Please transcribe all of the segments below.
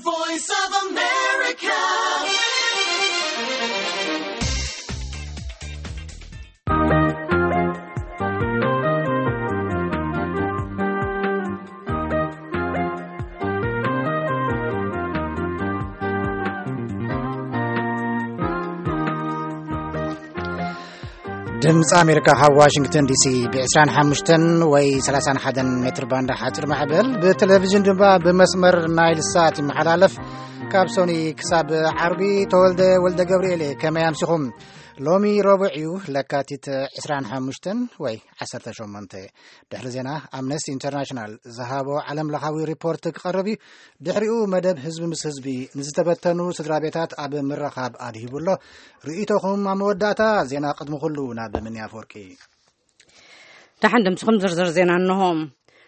Voice of America. ድምፂ ኣሜሪካ ካብ ዋሽንግተን ዲሲ ብ ዕስራን ሓሙሽተን ወይ ሰላሳን ሓደን ሜትር ባንድ ሓፂር ማዕበል፣ ብቴሌቪዥን ድማ ብመስመር ናይል ሳት ይመሓላለፍ። ካብ ሶኒ ክሳብ ዓርቢ። ተወልደ ወልደ ገብርኤል እየ። ከመይ ኣምሲኹም? ሎሚ ረቡዕ እዩ፣ ለካቲት ዕስራን ሓሙሽተን ወይ ዓሰርተ ሸሞንተ። ድሕሪ ዜና፣ ኣምነስቲ ኢንተርናሽናል ዝሃቦ ዓለም ለኻዊ ሪፖርት ክቐርብ እዩ። ድሕሪኡ መደብ ህዝቢ ምስ ህዝቢ፣ ንዝተበተኑ ስድራ ቤታት ኣብ ምርኻብ ኣድሂቡ ኣሎ። ርእይቶኹም ኣብ መወዳእታ ዜና። ቅድሚ ኩሉ ናብ ምንያ ኣፈወርቂ። ደሓን ድምፅኹም። ዝርዝር ዜና እንሆ።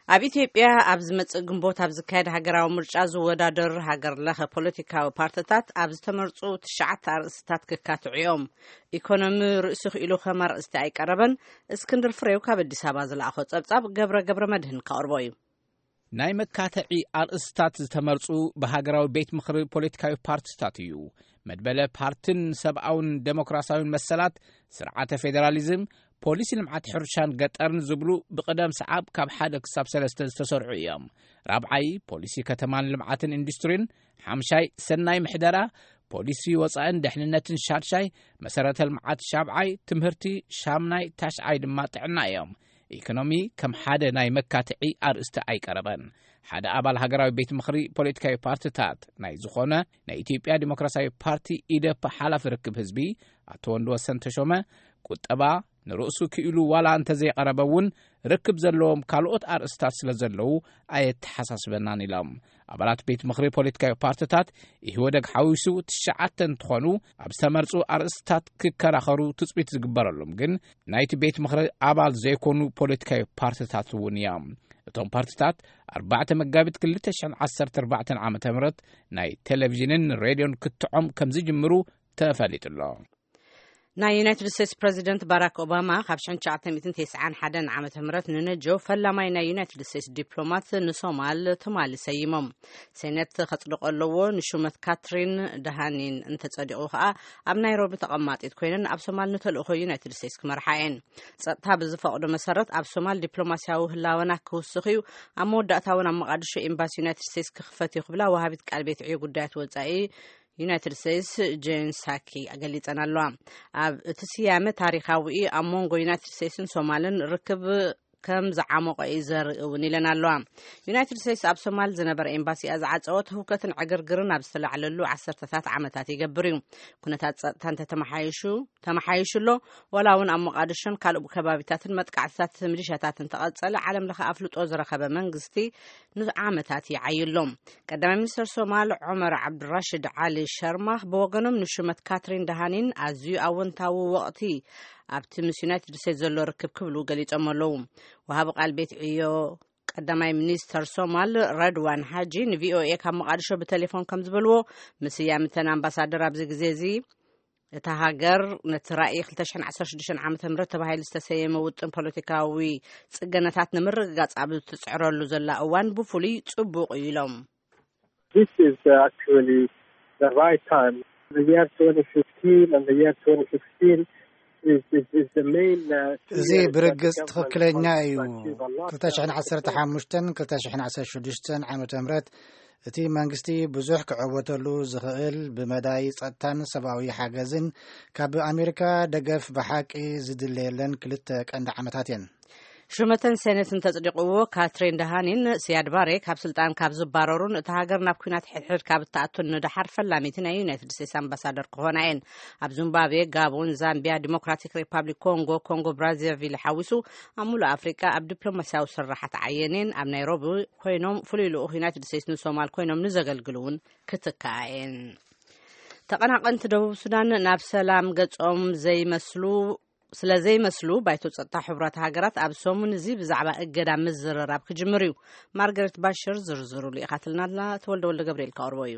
ኣብ ኢትዮጵያ ኣብ ዝመጽእ ግንቦት ኣብ ዝካየድ ሃገራዊ ምርጫ ዝወዳደር ሃገር ለኸ ፖለቲካዊ ፓርትታት ኣብ ዝተመርጹ ትሽዓተ ኣርእስትታት ክካትዑ እዮም። ኢኮኖሚ ርእሲ ክኢሉ ከም ኣርእስቲ ኣይቀረበን። እስክንድር ፍሬው ካብ ኣዲስ ኣበባ ዝለኣኾ ጸብጻብ ገብረ ገብረ መድህን ከቕርቦ እዩ። ናይ መካተዒ ኣርእስትታት ዝተመርጹ ብሃገራዊ ቤት ምኽሪ ፖለቲካዊ ፓርትታት እዩ። መድበለ ፓርትን ሰብኣውን ደሞክራሲያውን መሰላት፣ ስርዓተ ፌደራሊዝም፣ ፖሊሲ ልምዓት ሕርሻን ገጠርን ዝብሉ ብቕደም ሰዓብ ካብ ሓደ ክሳብ ሰለስተ ዝተሰርዑ እዮም። ራብዓይ፣ ፖሊሲ ከተማን ልምዓትን ኢንዱስትሪን፣ ሓምሻይ፣ ሰናይ ምሕደራ፣ ፖሊሲ ወፃእን ደሕንነትን፣ ሻድሻይ፣ መሰረተ ልምዓት፣ ሻብዓይ፣ ትምህርቲ፣ ሻምናይ፣ ታሽዓይ ድማ ጥዕና እዮም። ኢኮኖሚ ከም ሓደ ናይ መካትዒ ኣርእስቲ ኣይቀረበን። ሓደ ኣባል ሃገራዊ ቤት ምኽሪ ፖለቲካዊ ፓርትታት ናይ ዝኾነ ናይ ኢትዮጵያ ዲሞክራሲያዊ ፓርቲ፣ ኢዴፓ፣ ሓላፊ ርክብ ህዝቢ ኣቶ ወንድወሰን ተሾመ፣ ቁጠባ ንርእሱ ክኢሉ ዋላ እንተዘይቀረበ እውን ርክብ ዘለዎም ካልኦት ኣርእስታት ስለ ዘለዉ ኣየተሓሳስበናን ኢሎም። ኣባላት ቤት ምኽሪ ፖለቲካዊ ፓርትታት ኢህወደግ ሓዊሱ ትሽዓተ እንትኾኑ፣ ኣብ ዝተመርጹ ኣርእስታት ክከራኸሩ ትጽቢት ዝግበረሎም ግን ናይቲ ቤት ምኽሪ ኣባል ዘይኮኑ ፖለቲካዊ ፓርትታት እውን እዮም። እቶም ፓርትታት ኣርባዕተ መጋቢት ክልተ ሽሕን ዓሰርተ ኣርባዕተን ዓመተ ምህረት ናይ ቴሌቪዥንን ሬድዮን ክትዖም ከም ዝጅምሩ ተፈሊጡ ኣሎ። ናይ ዩናይትድ ስቴትስ ፕረዚደንት ባራክ ኦባማ ካብ ሽሕን ትሽዓተ ሚእትን ተስዓን ሓደን ዓመተ ምህረት ንነጆ ፈላማይ ናይ ዩናይትድ ስቴትስ ዲፕሎማት ንሶማል ትማሊ ሰይሞም። ሴኔት ከጽድቆ ኣለዎ። ንሹመት ካትሪን ደሃኒን እንተጸዲቑ ከኣ ኣብ ናይሮቢ ተቐማጢት ኮይነን ኣብ ሶማል ንተልእኾ ዩናይትድ ስቴትስ ክመርሓ እየን። ጸጥታ ብዝፈቕዶ መሰረት ኣብ ሶማል ዲፕሎማስያዊ ህላወና ክውስኽ እዩ። ኣብ መወዳእታ እውን ኣብ መቓድሾ ኤምባሲ ዩናይትድ ስቴትስ ክኽፈት እዩ ክብላ ወሃቢት ቃል ቤት ዕዮ ጉዳያት ወጻኢ ዩናይትድ ስቴትስ ጄን ሳኪ ገሊጸን ኣለዋ። ኣብ እቲ ስያመ ታሪኻዊ ኣብ መንጎ ዩናይትድ ስቴትስን ሶማልን ርክብ ከም ዝዓመቖ እዩ ዘርኢ እውን ኢለን ኣለዋ። ዩናይትድ ስቴትስ ኣብ ሶማል ዝነበረ ኤምባሲኣ ዝዓጸወት ህውከትን ዕግርግርን ኣብ ዝተላዕለሉ ዓሰርተታት ዓመታት ይገብር እዩ። ኩነታት ጸጥታ እንተተመሓይሹ ተመሓይሹ ኣሎ። ዋላ እውን ኣብ ሞቃዲሾን ካልእ ከባቢታትን መጥቃዕትታት ሚሊሻታት እንተቐጸለ፣ ዓለም ለኸ ኣፍልጦ ዝረኸበ መንግስቲ ንዓመታት ይዓዩ ኣሎ። ቀዳማይ ሚኒስትር ሶማል ዑመር ዓብዱራሽድ ዓሊ ሸርማኽ ብወገኖም ንሹመት ካትሪን ደሃኒን ኣዝዩ ኣወንታዊ ወቕቲ ኣብቲ ምስ ዩናይትድ ስቴትስ ዘሎ ርክብ ክብሉ ገሊጾም ኣለዉ። ወሃቢ ቃል ቤት ዕዮ ቀዳማይ ሚኒስተር ሶማል ረድዋን ሓጂ ንቪኦኤ ካብ መቓድሾ ብቴሌፎን ከም ዝበልዎ፣ ምስያም እተን ኣምባሳደር ኣብዚ ግዜ እዚ እታ ሃገር ነቲ ራእይ ክልተ ሽሕን ዓሰርተ ሽዱሽተን ዓመተ ምህረት ተባሂሉ ዝተሰየመ ውጥን ፖለቲካዊ ጽገነታት ንምርግጋጽ ኣብ እትጽዕረሉ ዘላ እዋን ብፍሉይ ጽቡቕ እዩ ኢሎም። This is uh, actually the right time. The year twenty fifteen and the year twenty sixteen is, is, is the main uh, two እዚ years that ብርግጽ the government ትኽክለኛ wants እዩ። to achieve a lot. ክልተ ሽሕን ዓሰርተ ሓሙሽተን ክልተ ሽሕን ዓሰርተ ሽዱሽተን ዓመተ ምህረት እቲ መንግስቲ ብዙሕ ክዕወተሉ ዝኽእል ብመዳይ ጸጥታን ሰብኣዊ ሓገዝን ካብ ኣሜሪካ ደገፍ ብሓቂ ዝድለየለን ክልተ ቀንዲ ዓመታት እየን። ሹመተን ሴኔት እንተጽዲቕዎ፣ ካትሪን ደሃኒን ሲያድ ባሬ ካብ ስልጣን ካብ ዝባረሩን እታ ሃገር ናብ ኲናት ሕድሕድ ካብ እትኣቱን ንደሓር ፈላሚቲ ናይ ዩናይትድ ስቴትስ ኣምባሳደር ክኾና እየን። ኣብ ዚምባብዌ፣ ጋቦን፣ ዛምቢያ፣ ዲሞክራቲክ ሪፓብሊክ ኮንጎ፣ ኮንጎ ብራዛቪል ሓዊሱ ኣብ ሙሉእ ኣፍሪቃ ኣብ ዲፕሎማስያዊ ስራሓት ዓየን እየን። ኣብ ናይሮቢ ኮይኖም ፍሉይ ልኡኽ ዩናይትድ ስቴትስ ንሶማል ኮይኖም ንዘገልግሉ እውን ክትከኣ እየን። ተቐናቐንቲ ደቡብ ሱዳን ናብ ሰላም ገጾም ዘይመስሉ ስለ ዘይመስሉ፣ ባይቶ ጸጥታ ሕቡራት ሃገራት ኣብ ሰሙን እዚ ብዛዕባ እገዳ ምዝርራብ ክጅምር እዩ። ማርገሬት ባሽር ዝርዝሩ ልኢኻትልና ኣላ። ተወልደ ወልደ ገብርኤል ከቕርቦ እዩ።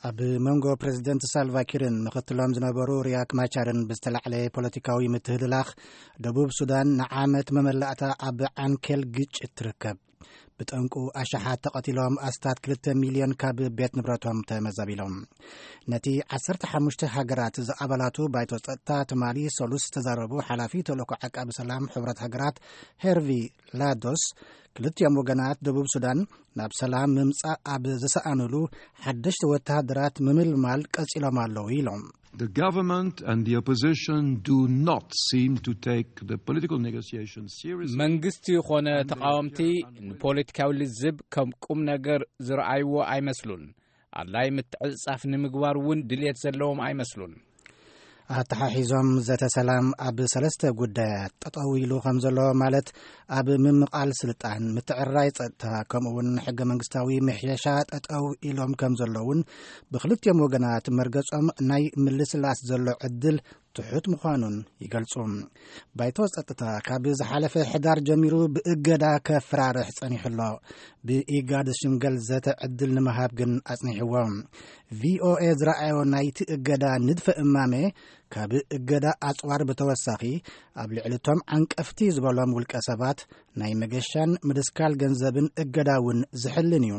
ኣብ መንጎ ፕረዚደንት ሳልቫ ኪርን ምኽትሎም ዝነበሩ ሪያክ ማቻርን ብዝተላዕለ ፖለቲካዊ ምትህልላኽ፣ ደቡብ ሱዳን ንዓመት መመላእታ ኣብ ዓንኬል ግጭት ትርከብ። ብጠንቁ ኣሽሓት ተቐቲሎም፣ ኣስታት ክልተ ሚልዮን ካብ ቤት ንብረቶም ተመዛቢሎም። ነቲ ዓሰርተ ሓሙሽተ ሃገራት ዝኣባላቱ ባይቶ ጸጥታ ትማሊ ሰሉስ ዝተዛረቡ ሓላፊ ተልእኮ ዓቃቢ ሰላም ሕብረት ሃገራት ሄርቪ ላዶስ፣ ክልቲኦም ወገናት ደቡብ ሱዳን ናብ ሰላም ምምጻእ ኣብ ዝሰኣኑሉ ሓደሽቲ ወተሃደራት ምምልማል ቀጺሎም ኣለዉ ኢሎም። The government and the opposition do not seem to take the political negotiations seriously. መንግስቲ ይኾነ ተቃወምቲ ንፖለቲካዊ ልዝብ ከም ቁም ነገር ዝረኣይዎ ኣይመስሉን። ኣድላይ ምትዕጻፍ ንምግባር እውን ድልየት ዘለዎም ኣይመስሉን። ኣተሓሒዞም፣ ዘተ ሰላም ኣብ ሰለስተ ጉዳያት ጠጠው ኢሉ ከም ዘሎ፣ ማለት ኣብ ምምቓል ስልጣን፣ ምትዕርራይ ጸጥታ፣ ከምኡ እውን ሕገ መንግስታዊ ምሕየሻ ጠጠው ኢሎም ከም ዘለውን፣ ብክልቲኦም ወገናት መርገጾም ናይ ምልስላስ ዘሎ ዕድል ትሑት ምዃኑን ይገልጹ። ባይቶ ጸጥታ ካብ ዝሓለፈ ሕዳር ጀሚሩ ብእገዳ ከፈራርሕ ጸኒሑ ኣሎ። ብኢጋድ ዝሽምገል ዘተ ዕድል ንምሃብ ግን ኣጽኒሕዎ። ቪኦኤ ዝረኣዮ ናይቲ እገዳ ንድፈ እማመ፣ ካብ እገዳ ኣጽዋር ብተወሳኺ፣ ኣብ ልዕሊ እቶም ዓንቀፍቲ ዝበሎም ውልቀ ሰባት ናይ መገሻን ምድስካል ገንዘብን እገዳ እውን ዝሕልን እዩ።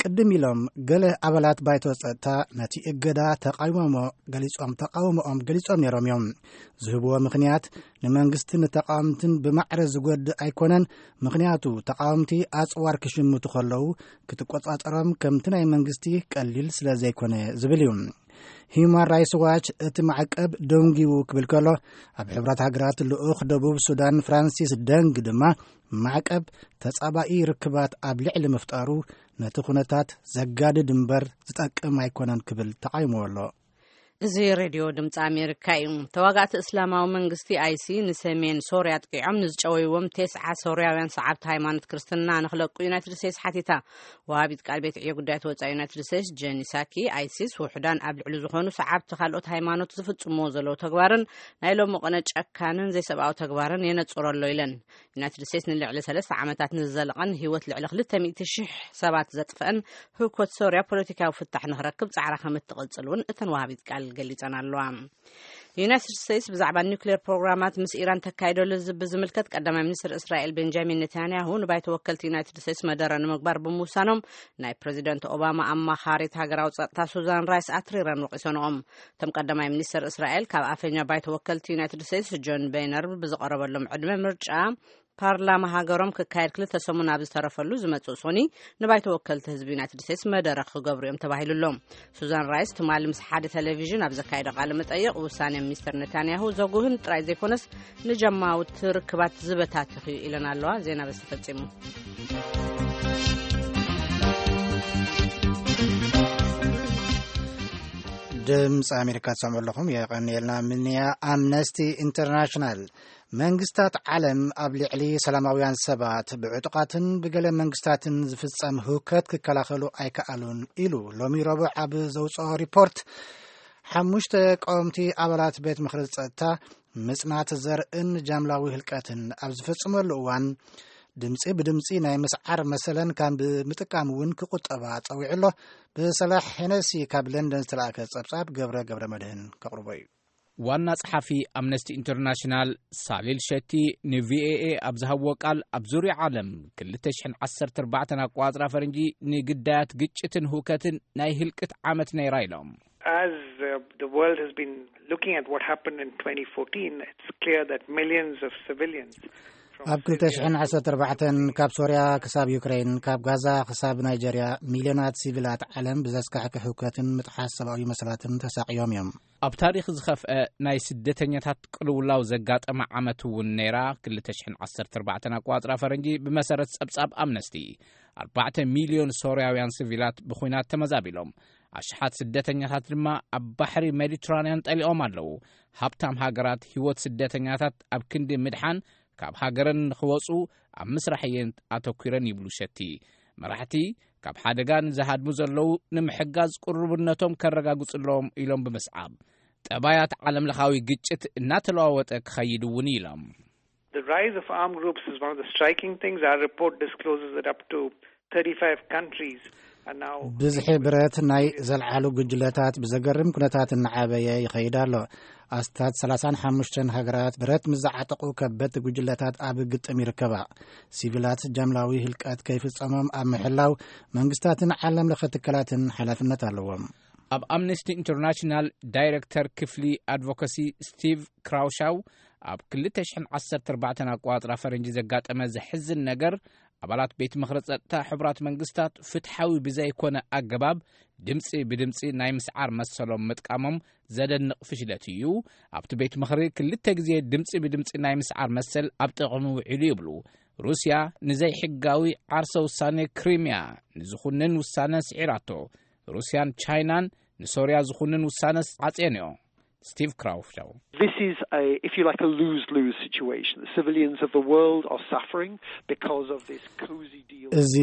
ቅድም ኢሎም፣ ገለ ኣባላት ባይቶ ጸጥታ ነቲ እገዳ ተቃውሞ ገሊጾም፣ ተቃውሞኦም ገሊጾም ነይሮም እዮም። ዝህብዎ ምኽንያት፣ ንመንግስትን ንተቃወምትን ብማዕረ ዝጎድእ ኣይኮነን፣ ምኽንያቱ ተቃወምቲ ኣጽዋር ክሽምቱ ከለዉ ክትቆጻጸሮም ከምቲ ናይ መንግስቲ ቀሊል ስለ ዘይኮነ ዝብል እዩ። ሂዩማን ራይትስ ዋች እቲ ማዕቀብ ደንጊዉ ክብል ከሎ፣ ኣብ ሕብረት ሃገራት ልኡኽ ደቡብ ሱዳን ፍራንሲስ ደንግ ድማ፣ ማዕቀብ ተጻባኢ ርክባት ኣብ ልዕሊ ምፍጣሩ፣ ነቲ ኩነታት ዘጋድድ እምበር ዝጠቅም ኣይኮነን ክብል ተቃይምዎ ኣሎ። እዚ ሬድዮ ድምፂ ኣሜሪካ እዩ። ተዋጋእቲ እስላማዊ መንግስቲ ኣይሲ ንሰሜን ሶርያ ኣጥቂዖም ንዝጨወይዎም ተስዓ ሶርያውያን ሰዓብቲ ሃይማኖት ክርስትና ንክለቁ ዩናይትድ ስቴትስ ሓቲታ። ወሃቢት ቃል ቤት ዕዮ ጉዳያት ወፃኢ ዩናይትድ ስቴትስ ጀኒ ሳኪ፣ ኣይሲስ ውሑዳን ኣብ ልዕሊ ዝኾኑ ሰዓብቲ ካልኦት ሃይማኖት ዝፍጽምዎ ዘለዉ ተግባርን ናይ ሎሚ ቅነ ጨካንን ዘይሰብኣዊ ተግባርን የነጽሮ ኣሎ ኢለን። ዩናይትድ ስቴትስ ንልዕሊ ሰለስተ ዓመታት ንዝዘለቐን ህይወት ልዕሊ ክልተ ሚእቲ ሽሕ ሰባት ዘጥፍአን ህውከት ሶርያ ፖለቲካዊ ፍታሕ ንክረክብ ጻዕራ ከም እትቕጽል እውን እተን ወሃቢት ቃል ገሊጸን ኣለዋ። ዩናይትድ ስቴትስ ብዛዕባ ኒውክሌር ፕሮግራማት ምስ ኢራን ተካይዶ ልዝብ ብዝምልከት፣ ቀዳማይ ሚኒስትር እስራኤል ቤንጃሚን ኔታንያሁ ንባይቶ ወከልቲ ዩናይትድ ስቴትስ መደረ ንምግባር ብምውሳኖም፣ ናይ ፕሬዚደንት ኦባማ ኣማኻሪት ሃገራዊ ጸጥታ ሱዛን ራይስ ኣትሪረን ወቒሰንኦም። እቶም ቀዳማይ ሚኒስትር እስራኤል፣ ካብ ኣፈኛ ባይቶ ወከልቲ ዩናይትድ ስቴትስ ጆን ቤነር ብዝቐረበሎም ዕድመ ምርጫ ፓርላማ ሃገሮም ክካየድ ክልተ ሰሙን ኣብ ዝተረፈሉ ዝመጽእ ሶኒ፣ ንባይቶ ወከልቲ ህዝቢ ዩናይትድ ስቴትስ መደረ ክገብሩ እዮም ተባሂሉ ኣሎ። ሱዛን ራይስ ትማሊ ምስ ሓደ ቴሌቪዥን ኣብ ዘካየዶ ቃለ መጠይቕ፣ ውሳኔ ሚስተር ኔታንያሁ ዘጉህን ጥራይ ዘይኮነስ ንጀማውቲ ርክባት ዝበታትኽ እዩ ኢለን ኣለዋ። ዜና በዚ ተፈጺሙ። ድምፂ ኣሜሪካ ትሰምዑ ኣለኹም። የቐንየልና ምንያ። ኣምነስቲ ኢንተርናሽናል፣ መንግስታት ዓለም ኣብ ልዕሊ ሰላማውያን ሰባት ብዕጡቓትን ብገለ መንግስታትን ዝፍጸም ህውከት ክከላኸሉ ኣይከኣሉን ኢሉ ሎሚ ረቡዕ ኣብ ዘውፅኦ ሪፖርት። ሓሙሽተ ቀወምቲ ኣባላት ቤት ምኽሪ ጸጥታ ምጽናት ዘርእን ጃምላዊ ህልቀትን ኣብ ዝፈጽመሉ እዋን፣ ድምጺ ብድምጺ ናይ ምስዓር መሰለን ካብ ምጥቃም እውን ክቁጠባ ጸዊዑ ኣሎ። ብሰላሕ ሄነሲ ካብ ለንደን ዝተላእከ ጸብጻብ ገብረ ገብረ መድህን ከቕርቦ እዩ። ዋና ጸሓፊ ኣምነስቲ ኢንተርናሽናል ሳሊል ሸቲ ንቪኦኤ ኣብ ዝሃብዎ ቃል፣ ኣብ ዙርያ ዓለም ክልተ ሽሕን ዓሰርተ ኣርባዕተን ኣቋጽራ ፈረንጂ ንግዳያት ግጭትን ህውከትን ናይ ህልቅት ዓመት ነይራ ኢሎም። As uh, the world has been looking at what happened in twenty fourteen, it's clear that millions of civilians from ኣብ Syria ክልተ ሽሕን ዓሰርተ ኣርባዕተን ካብ ሶርያ ክሳብ ዩክሬን፣ ካብ ጋዛ ክሳብ ናይጀርያ፣ ሚልዮናት ሲቪላት ዓለም ብዘስካሕክሕ ህውከትን ምጥሓስ ሰብኣዊ መሰላትን ተሳቕዮም እዮም። ኣብ ታሪኽ ዝኸፍአ ናይ ስደተኛታት ቅልውላው ዘጋጠመ ዓመት እውን ነይራ። ክልተ ሽሕን ዓሰርተ ኣርባዕተን ኣቋጽራ ፈረንጂ፣ ብመሰረት ጸብጻብ ኣምነስቲ፣ ኣርባዕተ ሚልዮን ሶርያውያን ሲቪላት ብኹናት ተመዛቢሎም። ኣሽሓት ስደተኛታት ድማ ኣብ ባሕሪ ሜዲትራንያን ጠሊቖም ኣለዉ። ሃብታም ሃገራት ህይወት ስደተኛታት ኣብ ክንዲ ምድሓን፣ ካብ ሃገረን ንኽወጹ ኣብ ምስራሕ እየን ኣተኲረን ይብሉ ሸቲ። መራሕቲ ካብ ሓደጋ ንዝሃድሙ ዘለዉ ንምሕጋዝ ቅሩብነቶም ከረጋግጹ ኣለዎም ኢሎም ብምስዓብ፣ ጠባያት ዓለምለኻዊ ግጭት እናተለዋወጠ ክኸይድ እውን ኢሎም። The rise of armed groups is one of the striking things. Our report discloses that up to thirty-five countries ብዝሒ ብረት ናይ ዘልዓሉ ጉጅለታት ብዘገርም ኩነታት እናዓበየ ይኸይድ ኣሎ። ኣስታት ሰላሳን ሓሙሽተን ሃገራት ብረት ምስ ዝዓጠቑ ከበድቲ ጉጅለታት ኣብ ግጥም ይርከባ። ሲቪላት ጃምላዊ ህልቀት ከይፍጸሞም ኣብ ምሕላው መንግስታትን ዓለም ለኸ ትካላትን ሓላፍነት ኣለዎም። ኣብ ኣምነስቲ ኢንተርናሽናል ዳይሬክተር ክፍሊ ኣድቮካሲ ስቲቭ ክራውሻው፣ ኣብ ክልተ ሽሕን ዓሰርተ ኣርባዕተን ኣቋጽራ ፈረንጂ ዘጋጠመ ዘሕዝን ነገር፣ ኣባላት ቤት ምኽሪ ጸጥታ ሕቡራት መንግስታት ፍትሓዊ ብዘይኮነ ኣገባብ ድምጺ ብድምጺ ናይ ምስዓር መሰሎም ምጥቃሞም ዘደንቕ ፍሽለት እዩ። ኣብቲ ቤት ምኽሪ ክልተ ግዜ ድምጺ ብድምጺ ናይ ምስዓር መሰል ኣብ ጥቕሚ ውዒሉ ይብሉ። ሩስያ ንዘይሕጋዊ ዓርሰ ውሳኔ ክሪምያ ንዝኹንን ውሳነ ስዒራቶ። ሩስያን ቻይናን ንሶርያ ዝኹንን ውሳነስ ዓጽየንኦ። ስቲቭ ክራውሻው። This is a, if you like, a lose-lose situation. The civilians of the world are suffering because of this cozy deal. እዚ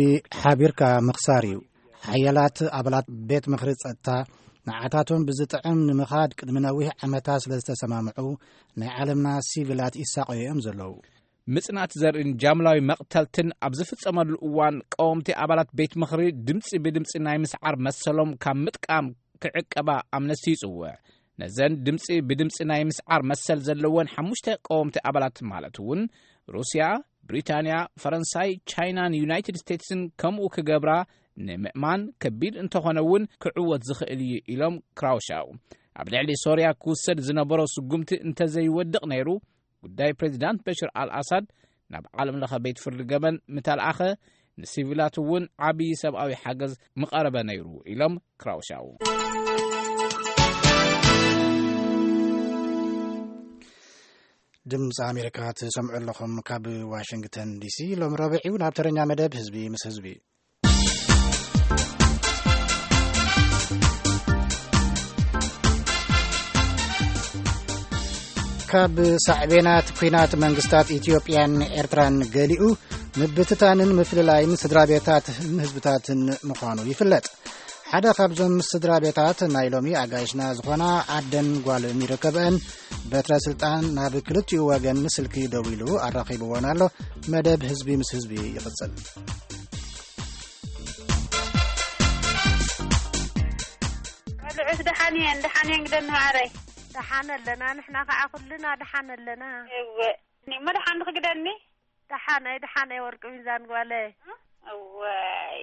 ሓቢርካ ምኽሳር እዩ። ሓያላት ኣባላት ቤት ምኽሪ ጸጥታ ንዓታቶም ብዝጥዕም ንምኻድ ቅድሚ ነዊሕ ዓመታት ስለ ዝተሰማምዑ፣ ናይ ዓለምና ሲቪላት ይሳቐዩ እዮም ዘለዉ። ምጽናት ዘርእን ጃምላዊ መቕተልትን ኣብ ዝፍጸመሉ እዋን፣ ቀወምቲ ኣባላት ቤት ምኽሪ ድምጺ ብድምጺ ናይ ምስዓር መሰሎም ካብ ምጥቃም ክዕቀባ ኣምነስቲ ይጽውዕ። ነዘን ድምጺ ብድምጺ ናይ ምስዓር መሰል ዘለወን ሓሙሽተ ቀወምቲ ኣባላት፣ ማለት እውን ሩስያ፣ ብሪታንያ፣ ፈረንሳይ፣ ቻይናን ዩናይትድ ስቴትስን ከምኡ ክገብራ ንምእማን ከቢድ እንተኾነ እውን ክዕወት ዝኽእል እዩ ኢሎም ክራውሻው። ኣብ ልዕሊ ሶርያ ክውሰድ ዝነበሮ ስጉምቲ እንተዘይወድቕ ነይሩ፣ ጉዳይ ፕሬዚዳንት በሽር ኣልኣሳድ ናብ ዓለም ለኸ ቤት ፍርዲ ገበን ምተልኣኸ፣ ንሲቪላት እውን ዓብዪ ሰብኣዊ ሓገዝ ምቐረበ ነይሩ ኢሎም ክራውሻው። ድምፂ ኣሜሪካ ትሰምዑ ኣለኹም ካብ ዋሽንግተን ዲሲ። ሎም ረብዒው ናብ ተረኛ መደብ ህዝቢ ምስ ህዝቢ። ካብ ሳዕቤናት ኲናት መንግስታት ኢትዮጵያን ኤርትራን ገሊኡ ምብትታንን ምፍልላይን ስድራ ቤታትን ህዝብታትን ምዃኑ ይፍለጥ። ሓደ ካብዞም ስድራ ቤታት ናይ ሎሚ ኣጋይሽና ዝኾና ኣደን ጓልን ይርከበን። በትረ ስልጣን ናብ ክልቲኡ ወገን ስልኪ ደዊሉ ኣራኺብዎን ኣሎ። መደብ ህዝቢ ምስ ህዝቢ ይቕጽል። ቆልዑት ደሓን እየን፣ ደሓን እየን ግደኒ ማዕረይ። ደሓን ኣለና፣ ንሕና ከዓ ኩልና ደሓን ኣለና። እወ፣ እሞ ደሓን ድኺ ግደኒ? ደሓነይ፣ ደሓነይ ወርቂ ሚዛን ጓለይ። እወይ፣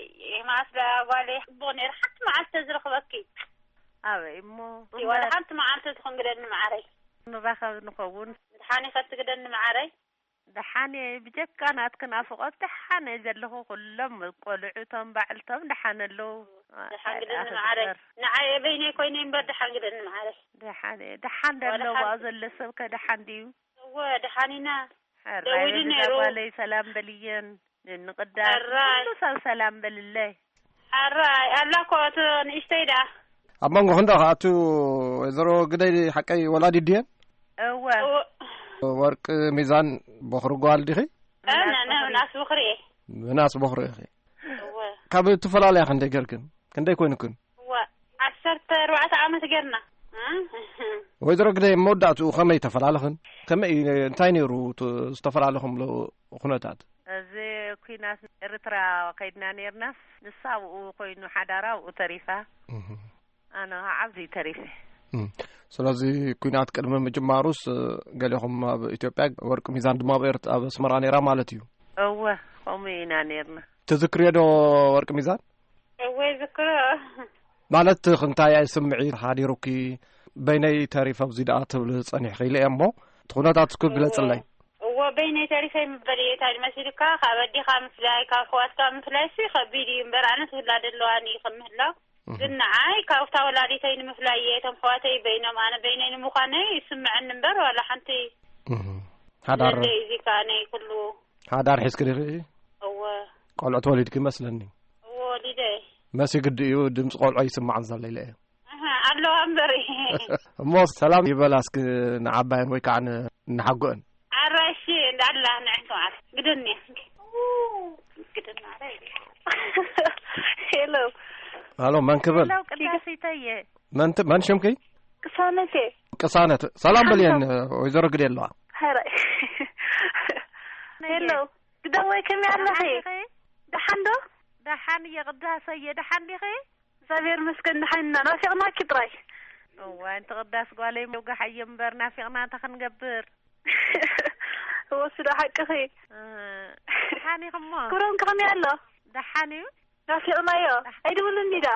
መዓስ ደኣ ጓለይ፣ ጽቡቕ ነይሩ። ሓንቲ መዓልቲ ተዝረኽበኪ። ኣበይ እሞ? ዋላ ሓንቲ መዓልቲ ትኹን ግደኒ ማዕረይ። ንራኸብ ንኸውን። ደሓን ኢኸ ትግደኒ ማዕረይ? ደሓን እየ፣ ብጀካ ናትኪ ናፍቖት ደሓን እየ ዘለኹ። ኩሎም ቆልዑ እቶም ባዕልቶም ደሓን ኣለዉ። ደሓን ግደኒ ኣይ፣ ማዕረይ። ኣኽበር። ንዓይ በይነይ ኮይነ እምበር ደሓን ግደኒ ማዕረይ። ደሓን እየ። ደሓን ዋላ ደለዎ ሓንቲ። ዘሎ ሰብ ከ ደሓን ድዩ? እወ፣ ደሓን ኢና። ሕራይ ደዊሉ በዛ ነይሩ። ጓለይ ሰላም በልየን። ንንቕዳ ሕራይ። ኩሉ ሰብ ሰላም በልለይ። ሕራይ፣ ኣላ እኮ እቶ ንእሽተይ ደኣ። ኣብ መንጎ ክንደኣ ከኣ እቱ ወይዘሮ ግደይ ሓቀይ ወላዲት ድየን? እወ። እወ። ወርቂ ሚዛን ቦኽሪ ጓል ዲኺ? እ፣ ነ-፣ ነ-፣ ምናስ ቦኽሪ እየ። ምናስ ቦኽሪ ኢኺ። እወ። ካብ እትፈላለያ ክንደይ ገርክን? ክንደይ ኮይንክን? እወ፣ ዓሰርተ ኣርባዕተ ዓመት ጌርና። እ? ወይዘሮ ግደይ፣ መወዳእትኡ ከመይ ተፈላለኽን? ከመይ፣ እንታይ ነይሩ እቲ ዝተፈላለኹምሉ ኩነታት? እዚ ኲናት ኤርትራ ከይድና ኔርናስ፣ ንሳ ኣብኡ ኮይኑ ሓዳራ ኣብኡ ተሪፋ። እህ። ኣነ ከዓ ኣብዚ ተሪፈ። እም። ስለዚ ኲናት ቅድሚ ምጅማሩስ፣ ገሌኹም ኣብ ኢትዮጵያ፣ ወርቂ ሚዛን ድማ ኣብ ኤርት-፣ ኣብ ኣስመራ ነይራ ማለት እዩ? እወ፣ ከምኡ ኢና ኔርና። ትዝክርዮ ዶ ወርቂ ሚዛን? እወ፣ ይዝክሮ። ማለት፣ ክንታይ ስምዒት ሓዲሩኪ፣ በይነይ ተሪፈ ኣብዚ ደኣ ትብሊ ጸኒሕኺ ኢለ እየ እሞ፣ እቲ ኩነታት እስኪ ግለጽለይ። እወ፣ በይነይ ተሪፈ ምበል እየ። እንታይ መሲልካ፣ ካብ ኣዴኻ ምፍላይ፣ ካብ ኣሕዋትካ ምፍላይሲ ከቢድ እዩ እምበር፣ ኣነስ ውላድ ኣለዋኒ ከም ምህላው። እህ። ግን ንዓይ ካብታ ወላዲተይ ንምፍላይ እየ፣ እቶም ኣሕዋተይ በይኖም፣ ኣነ በይነይ ንምዃነይ ይስምዐኒ እምበር፣ ዋላ ሓንቲ እህ። ሓዳር ዘለይ እዚ ከኣ ናይ ኩሉ። ሓዳር ሒዝኪ ዲኺ? እወ። ቆልዑት ወሊድኪ ይመስለኒ። እወ፣ ወሊደ። መሲ ግዲ እዩ፣ ድምፂ ቆልዑ ይስማዕን ዘሎ ኢለ እየ። ኣሃ፣ ኣለዋ እምበር። እሞ ሰላም ይበላ እስኪ ንዓባየን ወይ ከዓ ን-፣ ንሓጎአን። ኣራሺ እንዳላ ንዕንቱ ማለት ግደኒ። ግደኒ ማለት። ሄሎ። ሃሎ፣ መን ክብል? ሄሎ፣ ቅዳሴተየ። መን ት-፣ መን ሽምኪ? ቅሳነቴ። ቅሳነት። ሰላም በልየን፣ ሓንቶ። ወይዘሮ ግደ ኣለዋ። ሀረ። ሄሎ። ግደወይ ከመይ ኣለኺ? ደሓን ዶ? ደሓን እየ ቅዳሰየ፣ ደሓን ዲኺ? እግዚኣብሔር ይመስገን ደሓን ኢና፣ ናፊቕናኪ ጥራይ። እዋይ፣ እንቲ ቅዳስ ጓለይ፣ መውጋሕ እየ እምበር ናፊቕና እንታይ ክንገብር? እወ፣ እሱ ዶ ሓቅኺ። እ፣ ደሓን ኢኹሞ? ክብሮም ከ ከመይ ኣሎ? ደሓን እዩ። ናፊቕናዮ። ኣይደወለልኒ ዳ?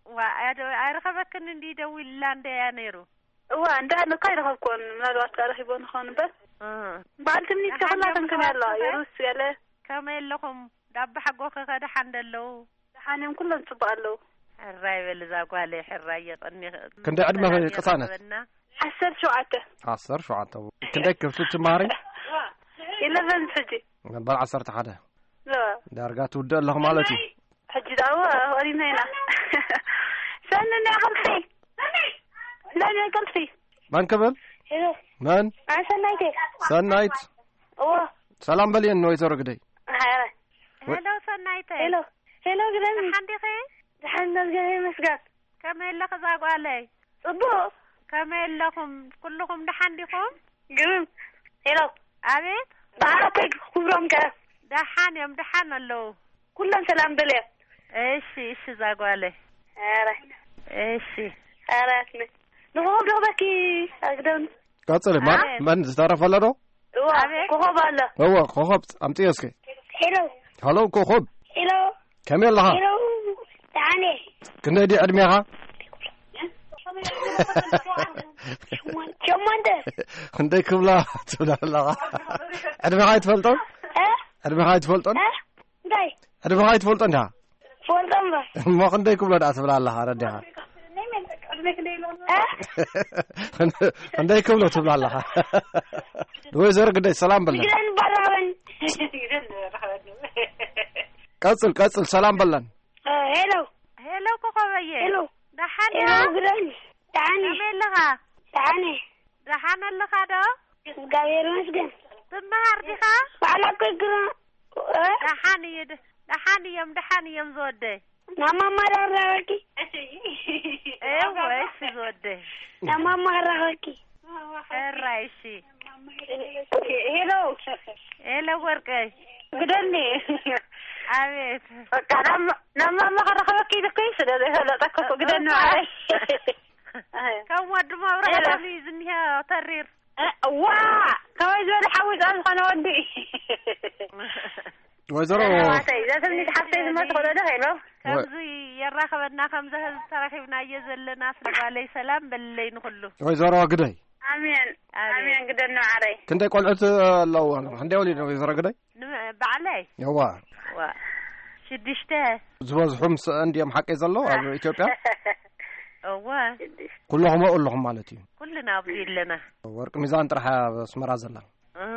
ዋ፣ ኣደ-፣ ኣይረኸበክን እንዲ ደዊልላ እንደ እያ ነይሩ። እዋ፣ እንዳ ኣነ እኮ ኣይረኸብኩዎን። ምናልባት ከኣ ረኺቦ ንኸውን እምበር። እ። በዓል ትምኒት ከ ደሓን ኩላተን እዮም ከመይ ኣለዋ? ኣሕዋትኪ ከ? የሩስ ገለ? ከመይ ኣለኹም? ዳባ ሓጎኺ ከ ደሓን ዶ ኣለዉ? ደሓን እዮም፣ ኩሎም ጽቡቕ ኣለዉ። ሕራይ በሊ እዛ ጓለይ፣ ሕራይ የቐኒኺ። ክንደይ ዕድመኺ ሰላም ቅሳነት? የራኽበና። ዓሰርተ ሸውዓተ። ዓሰርተ ሸውዓተ። ክንደይ ክፍሊ ትመሃሪ? ኢለቨን ሕጂ። በል ዓሰርተ ሓደ። እዋ። ዳርጋ ትውድእ ኣለኹ ማለት እዩ። ሕጂ ደኣ እዋ፣ ወሪና ኢና። ሰኒ፣ ናይ ቁልፊ። ናይ፣ ናይ ቁልፊ። መን ክብል? ሄሎ። መን? ኣነ ሰናይት እየ። ሰናይት። እዋ። ሰላም በልየን ንወይዘሮ ግደይ። ሃይ። ሄሎ ሰናይተ። ሄሎ። ሄሎ ግደይ። ደሓን ዲኺ? ደሓን፣ እግዚኣብሔር ይመስገን። ከመይ ኣለኺ እዛ ጓለይ? ጽቡቕ። ከመይ ኣለኹም? ኩልኹም ደሓን ዲኹም? ግርም። ሄሎ። ኣቤት። ብዓረከይ ክብሮም ከ? ደሓን እዮም፣ ደሓን ኣለዉ። ኩሎም ሰላም በልዮ። እሺ፣ እሺ፣ እዛ ጓለይ። ኧረ። እሺ። ኧረ፣ ንኾ ዶ በኪ ኣግደም። ቀጽሊ፣ መን፣ ኣቤት። መን ዝተረፈ ኣሎ ዶ? እዋ፣ ኣቤት። ኮኾብ ኣሎ። እዋ፣ ኮኾብ ኣምጽዮ እስኪ። ሄሎ። ሃሎ፣ ኮኾብ። ሄሎ። ከመይ ኣለኻ? ሄሎ። ደሓን እየ። ክንደይ ድዩ ዕድሜኻ? ሸሞንተ። ክንደይ ክብላ ትብላ ኣለኻ? ዕድሜኻ ኣይትፈልጦን? እ? ዕድሜኻ ኣይትፈልጦን? እ? እንታይ? ዕድሜኻ ኣይትፈልጦን ዲኻ? ፈልጦ እምበር። እሞ ክንደይ ክብሎ ደኣ ትብላ ኣለኻ? ረዲኻ? እ? ክንደይ ክብሎ ትብላ ኣለኻ? ወይዘሮ ግደይ ሰላም በለን። ግደን በራበን። ቀጽል፣ ቀጽል፣ ሰላም በለን። እ፣ ሄሎ። ሄሎ ኮኾበየ። ሄሎ። ደሓን ሄሎ፣ ዲኻ? ግደን። ደሓን እየ። ከመይ ኣለኻ? ደሓን እየ። ደሓን ኣለኻ ዶ? እግዚኣብሔር ይመስገን። ትመሃር ዲኻ? ባዕላ እኮ ይግረ-፣ እ? ደሓን እየ፣ ደ-፣ ደሓን እዮም፣ ደሓን እዮም ዝወደይ። ናብ ማማ ዳራበኪ? እወ፣ እሺ ዝወደይ። ናብ ማማ ኣራኸብኪ? ሕራይ፣ እሺ። ሄሎ። ሄሎ ወርቀይ። ግደኒ። ኣቤት። በቃ ናብ፣ ናብ ማማ ከረኸበኪ ኢልኩ ስለ ዘይፈለጠኩ እኮ ግደኒ ማዓረይ። ከም ወዲ መብራህቱ ሄሎ። እዩ ዝኒሀ ተሪር። እ፣ ዋ! ከመይ ዝበለ ሓዊ ጻን ዝኾነ ወዲ። ወይዘሮ ናተይ፣ ዘትምኒት ሓፍተይ ዝመት ትኽእሎ ዶ? ሄሎ። ከምዚ የራኸበና፣ ከምዚ ህዝቢ ተራኺብናዮ ዘለና፣ ስለ ጓለይ ሰላም በልለይ ንኹሉ። ወይዘሮ ግደይ። ኣሜን። ኣሜን። ኣሜን፣ ግደኒ ማዓረይ። ክንደይ ቆልዑት ኣለዎ? ክንደይ ወሊዱ ወይዘሮ ግደይ? ን-፣ ባዕለይ? እዋ። ዋ። ሽዱሽተ። ዝበዝሑ ምስአን ድዮም ሓቀይ ዘለዉ ኣብ ኢትዮጵያ? እዋ። ሽዱሽተ። ኩለኹም ኣብኡ ኣለኹም ማለት እዩ? ኩልና ኣብዚ ኣለና። ወርቂ ሚዛን ጥራሕ ኣብ ኣስመራ ዘላ? እ።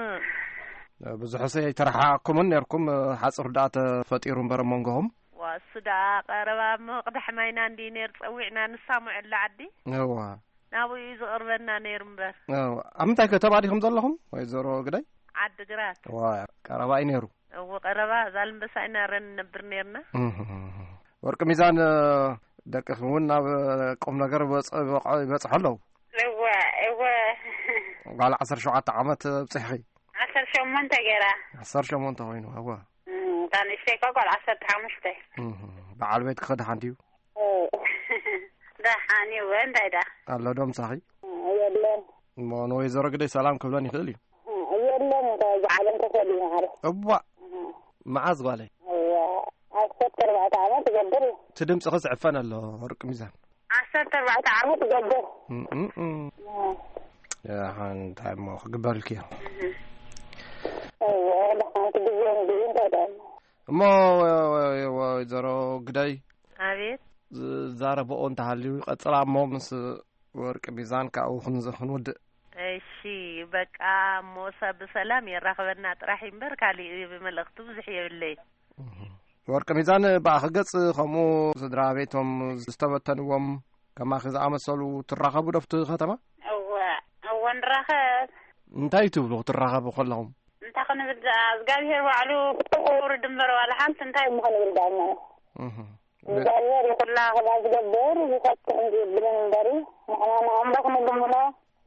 ብዙሕስ ኣይተረሓሓቕኩምን ነርኩም፣ ሓጹር ደኣ ተፈጢሩ እምበር ኣብ መንጎኹም። ዋ፣ እሱ ደኣ ቀረባ እሞ ቅዳሕ ማይና እንዲ ነር ጸዊዕና ንሳሙዐላ ዓዲ። እዋ። ናብኡ እዩ ዝቕርበና ነይሩ እምበር። እዋ። ኣብ ምንታይ ከተማ ዲኹም ዘለኹም ወይዘሮ ግዳይ? ዓዲ ግራት። ዋ፣ ቀረባ እዩ ነይሩ። እዎ፣ ቀረባ ዛልምበሳ ኢና ረን ነብር ነርና። እህ። ወርቂ ሚዛን፣ ደቅኺ እውን ናብ ቁም ነገር በጽ-፣ በጽ-፣ ይበጽሑ ኣለዉ። እወ፣ እወ። ጓል ዓሰርተ ሸውዓተ ዓመት ኣብጺሕኺ። ዓሰርተ ሸሞንተ ገይራ። ዓሰርተ ሸሞንተ ኮይኑ፣ እወ። እም፣ እታ ንእሽተይ እኮ ጓል ዓሰርተ ሓሙሽተ። እህ፣ በዓል ቤትኪ ከ ደሓን ድዩ? ኦ፣ ደሓን እዩ፣ እንታይ ደኣ? ኣሎ ዶ ምሳኺ? የለን። እሞ ንወይዘሮ ግደይ ሰላም ክብለን ይኽእል እዩ። የለን፣ እንታይ እዚ ዓለም ተፈልዩ ማዕረ። እዋእ! እህ። መዓዝ ጓለይ? እዋ፣ ዓሰርተ ኣርባዕተ ዓመት ይገብር እዩ። እቲ ድምፅኽስ ዕፈን ኣሎ፣ ወርቂ ሚዛን። ዓሰርተ ኣርባዕተ ዓመት ይገብር። እም፣ እም፣ እም። እህ። ደሓን እንታይ እሞ ክግበርልኪ እዩ? እህ። እዋ፣ ደሓን እቲ ግዜ እንድዩ፣ እንታይ ደኣ? እሞ ወ-፣ ወ-፣ ወ-፣ ወይዘሮ ግደይ ኣቤት። ዝዛረብኦ እንተሃልዩ ይቐጽላ እሞ ምስ ወርቂ ሚዛን ካብኡ ክንዝ-፣ ክንውድእ። እሺ፣ በቃ እሞ ሰብ ብሰላም የራኽበና ጥራሕ እምበር ካሊእ መልእኽቲ ብዙሕ የብለይ። እህ። ወርቂ ሚዛን ብኣኺ ገጽ ከምኡ ስድራ ቤቶም ዝተበተንዎም ከማኺ ዝኣመሰሉ ትራኸቡ ዶ ኣብቲ ከተማ? እወ፣ እወ ንራኸብ። እንታይ ትብሉ ክትራኸቡ ከለኹም? እንታይ ክንብል ደኣ፣ እግዚኣብሄር ባዕሉ ክውርድ እምበር ዋላ ሓንቲ እንታይ እሞ ክንብል ደኣ እሞ። እህ። እግዚኣብሄር ይኹላ ክላ ዝገብር ይፈትሕ እንጂ ይብልን እምበሪ፣ ንሕና ንኣምላኽ ንልምኖ፣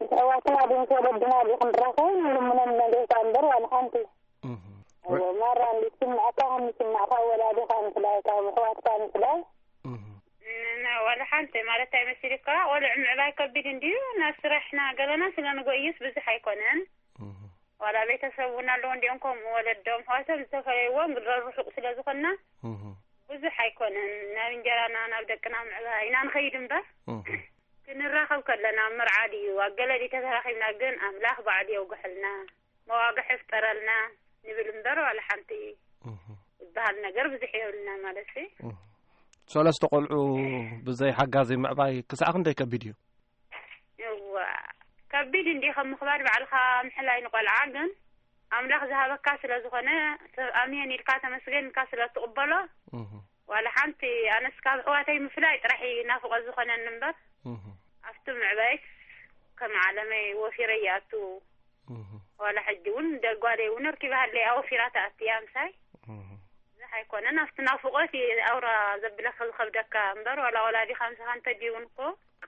ምስ ኣሕዋትና ድዩ ምስ ወለድና ድዩ ክንራኸብ ንልምኖ ንነግርታ እምበር ዋላ ሓንቲ። እህ። እዎ፣ ማራ እንዲ ትስምዐካ ከም ዝስምዕካ ወላዲኻ ምፍላይ፣ ካብ ኣሕዋትካ ምፍላይ። እህ። ን-፣ ን-፣ ዋላ ሓንቲ ማለት ኣይመስልካ፣ ቆልዑ ምዕባይ ከቢድ እንድዩ። ናብ ስራሕና ገለና ስለ ንጎይስ ብዙሕ ኣይኮነን። እህ። ዋላ ቤተሰብ እውን ኣለዎ እንዲኦም ከምኡ ወለዶም ኣሕዋቶም ዝተፈለይዎም ግድረ ርሑቕ ስለ ዝኾንና እህ። ብዙሕ ኣይኮነን። ናብ እንጀራና ናብ ደቅና ምዕባይ ኢና ንኸይድ እምበር እህ። ክንራኸብ ከለና ኣብ መርዓ ድዩ ኣብ ገለ ድዩ ተተራኺብና ግን ኣምላኽ ባዕሉ የውግሐልና። መዋግሕ ይፍጠረልና ንብል እምበር ዋላ ሓንቲ እህ። ዝበሃል ነገር ብዙሕ የብልና ማለት እዩ። እህ። ሰለስተ ቆልዑ ብዘይ ሓጋዚ ምዕባይ ክሳዕ ክንደይ ከቢድ እዩ? እዋ፣ ከቢድ እንዲ ከም ምኽባድ ባዕልኻ ምሕላይ ንቆልዓ ግን ኣምላኽ ዝሃበካ ስለ ዝኾነ ኣሜን ኢልካ ተመስገን ኢልካ ስለ ትቕበሎ እህ። ዋላ ሓንቲ ኣነስ ካብ ኣሕዋተይ ምፍላይ ጥራሕ እዩ ናፍቖት ዝኾነኒ እምበር እህ። ኣብቲ ምዕባይስ ከም ዓለመይ ወፊረ ይኣቱ። እህ። ዋላ ሕጂ እውን ደጓለይ እውን ኣርኪባሃለይ ኣወፊራ ተኣትያ ምሳይ። እህ። ብዙሕ ኣይኮነን ኣብቲ ናፍቖት እዩ ኣውራ ዘብለካ ዝኸብደካ እምበር ዋላ ወላዲኻ ምሳኻ እንተድዩ እውን እኮ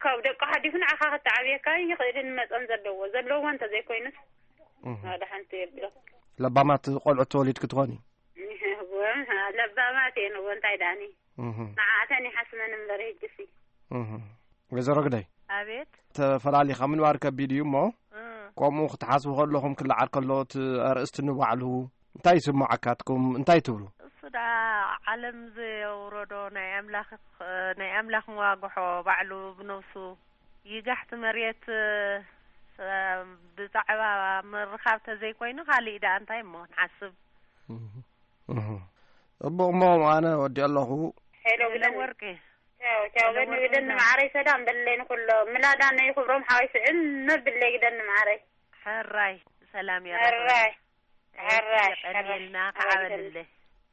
ካብ ደቁ ሓሊፉ ንዓኻ ክተዓብየካ ይኽእልን መጠን ዘለዎ፣ ዘለዎ እንተዘይኮይኑስ እህ። ዋላ ሓንቲ የብሎ። ለባማት ቆልዑት ተወሊድኪ ትኾኒ? እወ፣ ለባማት እየን እወ፣ እንታይ ደኣኒ? እህ። ንዓኣተን ይሓስመን እምበር ህጅሲ። እህ። ወይዘሮ ግደይ፣ ኣቤት። ተፈላሊኻ ምንባር ከቢድ እዩ እሞ፣ እ። ከምኡ ክትሓስቡ ከለኹም ክለዓል ከሎ እቲ ኣርእስቲ ንባዕሉ እንታይ ይስምዓካትኩም? እንታይ ትብሉ? እሱ ደኣ ዓለም ዘውረዶ ናይ ኣምላኽ፣ ናይ ኣምላኽ መዋግሖ ባዕሉ ብነብሱ ይጋሕቲ መሬት፣ እ፣ ብዛዕባ ምርኻብ ተዘይኮይኑ ካልእ ደኣ እንታይ እሞ ንሓስብ? እህ፣ እህ። ጽቡቕ እሞ ኣነ ወዲ ኣለኹ። ሄሎ ሄሎ ግደን። ወርቂ። ቻው፣ ቻው። ሄሎ በኒ ወርቂ ግደን እና። ማዕረይ ሰላም በለይ ንኩሎ። ምላዳ ነይ ክብሮም ሓወይ ስዕል መብለይ ግደን ማዕረይ። ሕራይ ሰላም የረኽበና። ሕራይ። ሕራይ፣ የቐንየልና፣ ሕራይ። ከዓበልለ።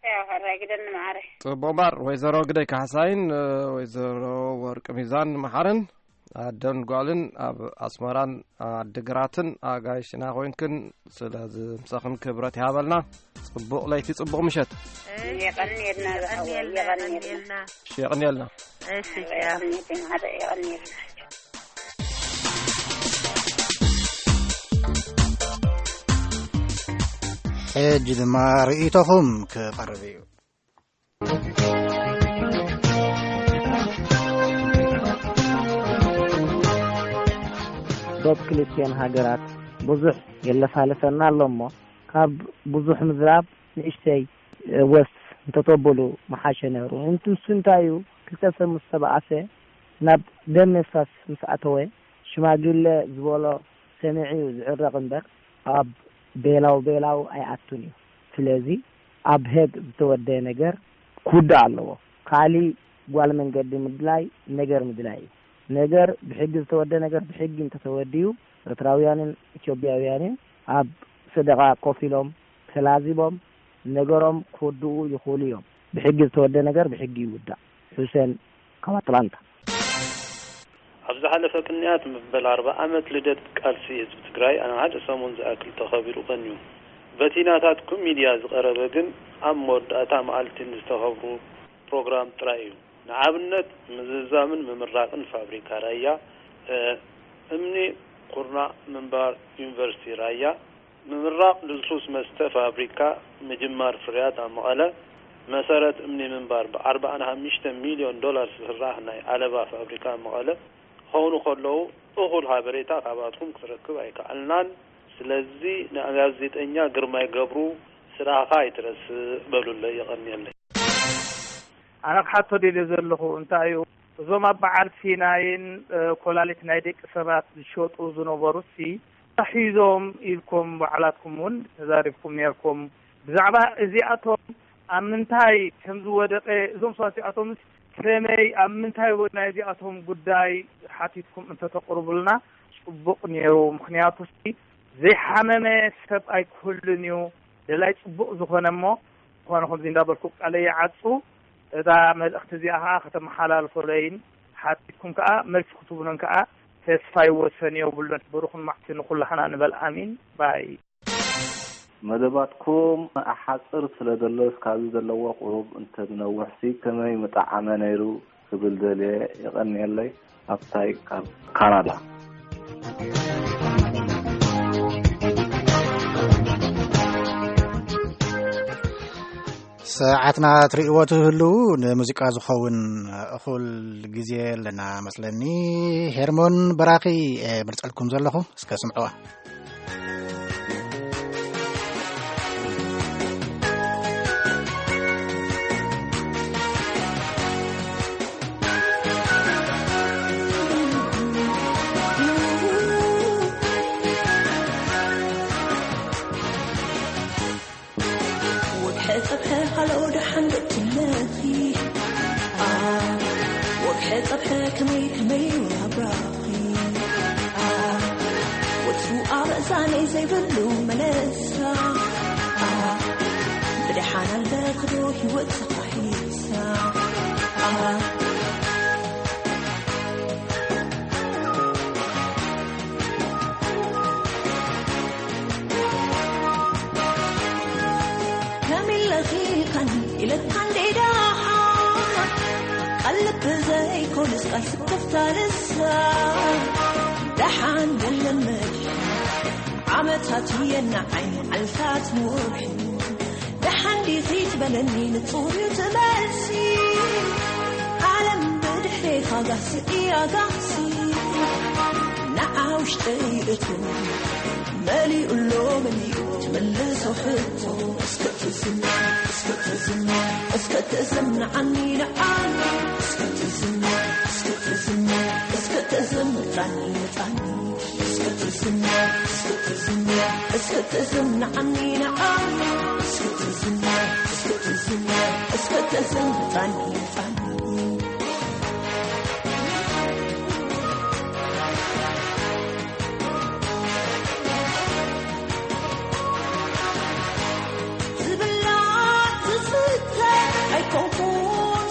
ያው፣ ሕራይ ግደን ማዕረ። ጽቡቕ እምበር፣ ወይዘሮ ግደይ ካሕሳይን፣ እ፣ ወይዘሮ ወርቂ ሚዛን መሓርን፣ ኣደን ጓልን ኣብ ኣስመራን ዓዲግራትን ኣጋይሽና ኮይንክን፣ ስለዚ ምሳኽን ክብረት ይሃበልና። ጽቡቕ ለይቲ፣ ጽቡቕ ምሸት። እሺ፣ የቐንየልና፣ ዝሓወይ፣ የቐንየልና፣ የቐንየልና። የቐንየልና። እሺ፣ የቐንየልና። እሺ፣ ሕራይ፣ ቻው። የቐንየልና፣ የቐንየልና። ሕጂ ድማ ርእይቶኹም ክቐርብ እዩ። ዶብ ክልቲኤን ሃገራት ብዙሕ የለፋልፈና ኣሎ እሞ፣ ካብ ብዙሕ ምዝራብ ንእሽተይ ወስ እንተተብሉ ምሓሸ ነይሩ። እንት-፣ ንሱ እንታይ እዩ፣ ክልተ ሰብ ምስ ተባኣሰ፣ ናብ ደም ምፍሳስ ምስ ኣተወ፣ ሽማግለ ዝበሎ ሰሚዑ እዩ ዝዕረቕ እምበር፣ ኣብ ቤላው ቤላው ኣይኣቱን እዩ። ስለዚ፣ ኣብ ሄግ ዝተወደየ ነገር ክውዳእ ኣለዎ። ካሊ ጓል መንገዲ ምድላይ ነገር ምድላይ እዩ። ነገር ብሕጊ ዝተወደ ነገር ብሕጊ እንተተወዲኡ፣ ኤርትራውያንን ኢትዮጵያውያንን ኣብ ሰደቓ ኮፍ ኢሎም ተላዚቦም ነገሮም ክውድኡ ይኽእሉ እዮም። ብሕጊ ዝተወደ ነገር ብሕጊ ይውዳእ። ሑሴን ካብ ኣትላንታ። ኣብ ዝሓለፈ ቅንያት መበል ኣርባ ዓመት ልደት ቃልሲ ህዝቢ ትግራይ ኣብ ሓደ ሰሙን ዝኣክል ተኸቢሩ ቀንዩ። በቲ ናታትኩም ሚድያ ዝቐረበ ግን ኣብ መወዳእታ መዓልቲ ንዝተኸብሩ ፕሮግራም ጥራይ እዩ። ንኣብነት ምዝዛምን ምምራቕን ፋብሪካ ራያ፣ እ፣ እምኒ ኩርናዕ ምንባር ዩኒቨርሲቲ ራያ፣ ምምራቕ ልስሉስ መስተ ፋብሪካ፣ ምጅማር ፍርያት ኣብ መቐለ፣ መሰረት እምኒ ምንባር ብኣርባዓን ሓሙሽተን ሚልዮን ዶላር ዝስራሕ ናይ ዓለባ ፋብሪካ ኣብ መቐለ ክኾኑ ከለዉ፣ እኹል ሓበሬታ ካባትኩም ክትረክብ ኣይከኣልናን። ስለዚ ንጋዜጠኛ ግርማይ ገብሩ ስራሕኻ ኣይትረስእ በሉለይ። የቐንየለይ። ኣነ ክሓቶ ደልየ ዘለኹ እንታይ እዩ፣ እዞም ኣብ በዓል ሲናይን፣ እ፣ ኮላሊት ናይ ደቂ ሰባት ዝሸጡ ዝነበሩሲ ተታሒዞም ኢልኩም ባዕላትኩም እውን ተዛሪብኩም ነርኩም። ብዛዕባ እዚኣቶም ኣብ ምንታይ ከም ዝወደቐ፣ እዞም ሰባት እዚኣቶምስ ከመይ፣ ኣብ ምንታይ ወ-፣ ናይ እዚኣቶም ጉዳይ ሓቲትኩም እንተተቕርቡልና ጽቡቕ ነይሩ። ምኽንያቱሲ ዘይሓመመ ሰብ ኣይክህሉን እዩ። ደላይ ጽቡቕ ዝኾነ እሞ፣ ዝኾነ ከምዚ እንዳበልኩ ቃለይ ይዓጹ። እዛ መልእኽቲ እዚኣ ኸዓ ከተመሓላልፉለይን ሓቲትኩም ከኣ መልሲ ክትህቡንን ከኣ ተስፋ ይወሰን የብሉን። ብሩኽን መዓልቲ ንኹላህና ንበል ኣሚን ባይ። መደባትኩም ኣሓጽር ስለ ዘሎስ ካብዚ ዘለዎ ቁሩብ እንተዝነውሕሲ ከመይ ምጠዓመ ነይሩ ክብል ደልየ። የቐንየለይ። ኣብታይ ካብ ካናዳ። ሰዓትና ትርእይዎ ትህልዉ፣ ንሙዚቃ ዝኸውን እኹል ግዜ ኣለና መስለኒ። ሄርሞን በራኺ እየ መርጸልኩም ዘለኹ፣ እስከ ስምዕዋ። ወግሐ ጸብሐ ሃሎ ደሓን ደትነኺ። ኣ፣ ወግሐ ጸብሐ ከመይ ከመይ ወራብራኺ። ኣ፣ ወትሩ ኣብ እዛነይ ዘይብሉ መለሳ። ኣ፣ ብደሓን ኣለኽዶ ህይወት ተኻሒሳ። ኣ፣ ከመይ ለኺልካኒ ኢለካ እንዴ ደሓን፣ ቃል ልቢ ዘይኮነስ ቃል ስክፍታ ልሳን። ደሓን የለን መድሓን፣ ዓመታት የናዓይ መዓልታት ምውርሒ። ደሓን ዲኺ ትበለኒ ንጹር እዩ እቲ መልሲ። ዓለም ብድሕሬኻ ጋህሲ እያ ጋህሲ። ንዓ ውሽጠይ እቶ መሊኡ ኣሎ መሊኡ ትመልሶ ሕቶ። እስከ ትዝም፣ እስከ ትዝም፣ እስከ ትዝም ንዓኒ ንዓኒ። እስከ ትዝም፣ እስከ ትዝም፣ እስከ ትዝም ጣኒ ጣኒ። እስከ ትዝም፣ እስከ ትዝም፣ እስከ ትዝም ንዓኒ ንዓኒ። እስከ ትዝም፣ እስከ ትዝም፣ እስከ ትዝም ጣኒ ጣኒ። ዝብላዕ ዝስተ ኣይኮንኩን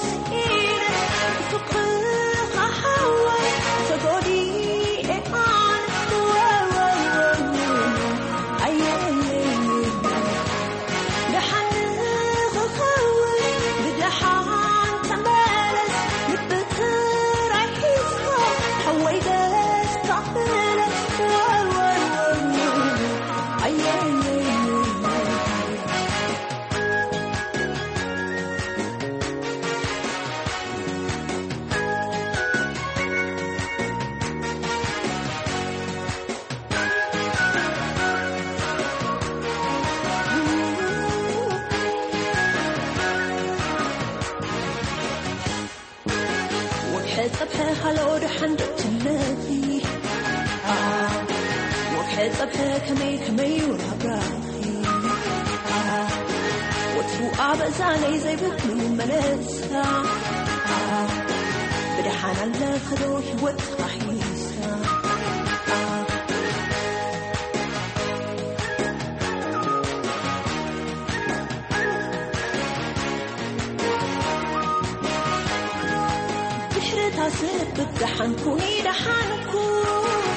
ስኢነ፣ ብፍቕርኻ ሓወይ ተጎዲኤ ኣነ። ኣየየየ። ደሓን ንኽኸውን ብደሓን ተመለስ፣ ልቢ ጥራይ ሒዝካ ሓወይ ደስታ ፍለስ። ኣየየየ። ወግሐ ጸብሐ ሃሎ ደሓን ደትነኺ። ኣ፣ ወግሐ ጸብሐ ከመይ ከመይ ወራብራኺ። ኣ፣ ወትሩ ኣብ እዛነይ ዘይብሉ መለሳ። ኣ፣ ብደሓን ኣለኽዶ ህይወት ተኻሒሳ። ኣ፣ ድሕሪ እታ ስንብት ደሓን ኩኒ ደሓን ኩን።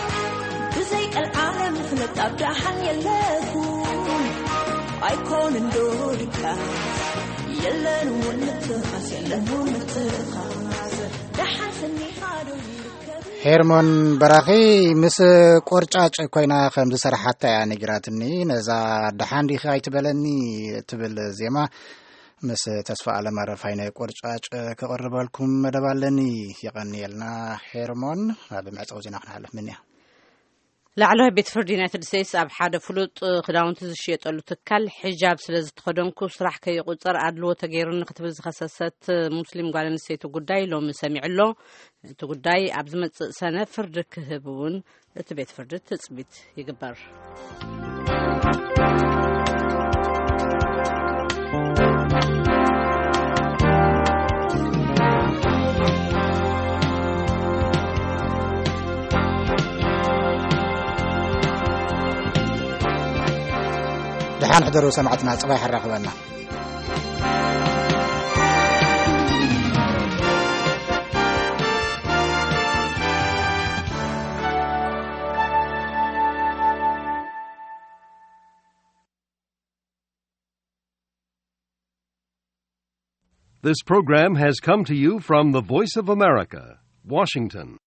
ብዘይ ቀልዓለም ፍለጥ ኣብ ደሓን የለኹን። ኣይኮንን ዶ ድቃስ የለን እውን ምትኻስ የለን እውን ምትኻስ። ደሓን ሰኒኻ ዶ ይርከብ? ሄርሞን በራኺ ምስ ቆርጫጭ ኮይና ከም ዝሰራሓታ እያ ነጊራትኒ። ነዛ ደሓን ዲኺ ኣይትበለኒ ትብል ዜማ ምስ ተስፋ ኣለም ኣረፋይነ ቆርጫጭ ከቕርበልኩም መደብ ኣለኒ። የቐንየልና ሄርሞን። ኣብ መዕጸዊ ዜና ክንሓልፍ ምንያ። ላዕለዋይ ቤት ፍርዲ ዩናይትድ ስቴትስ ኣብ ሓደ ፍሉጥ ክዳውንቲ ዝሽየጠሉ ትካል ሒጃብ ስለ ዝተኸደንኩ ስራሕ ከይቁጸር ኣድልዎ ተገይሩኒ ክትብል ዝኸሰሰት ሙስሊም ጓል ኣንስተይቲ ጉዳይ ሎሚ ሰሚዑ ኣሎ። እቲ ጉዳይ ኣብ ዝመጽእ ሰነ ፍርዲ ክህብ እውን እቲ ቤት ፍርዲ ትጽቢት ይግበር። ደሓን ሕደሩ ሰማዕትና፣ ጽባሕ ኣራኽበና። This program has come to you from the Voice of America, Washington.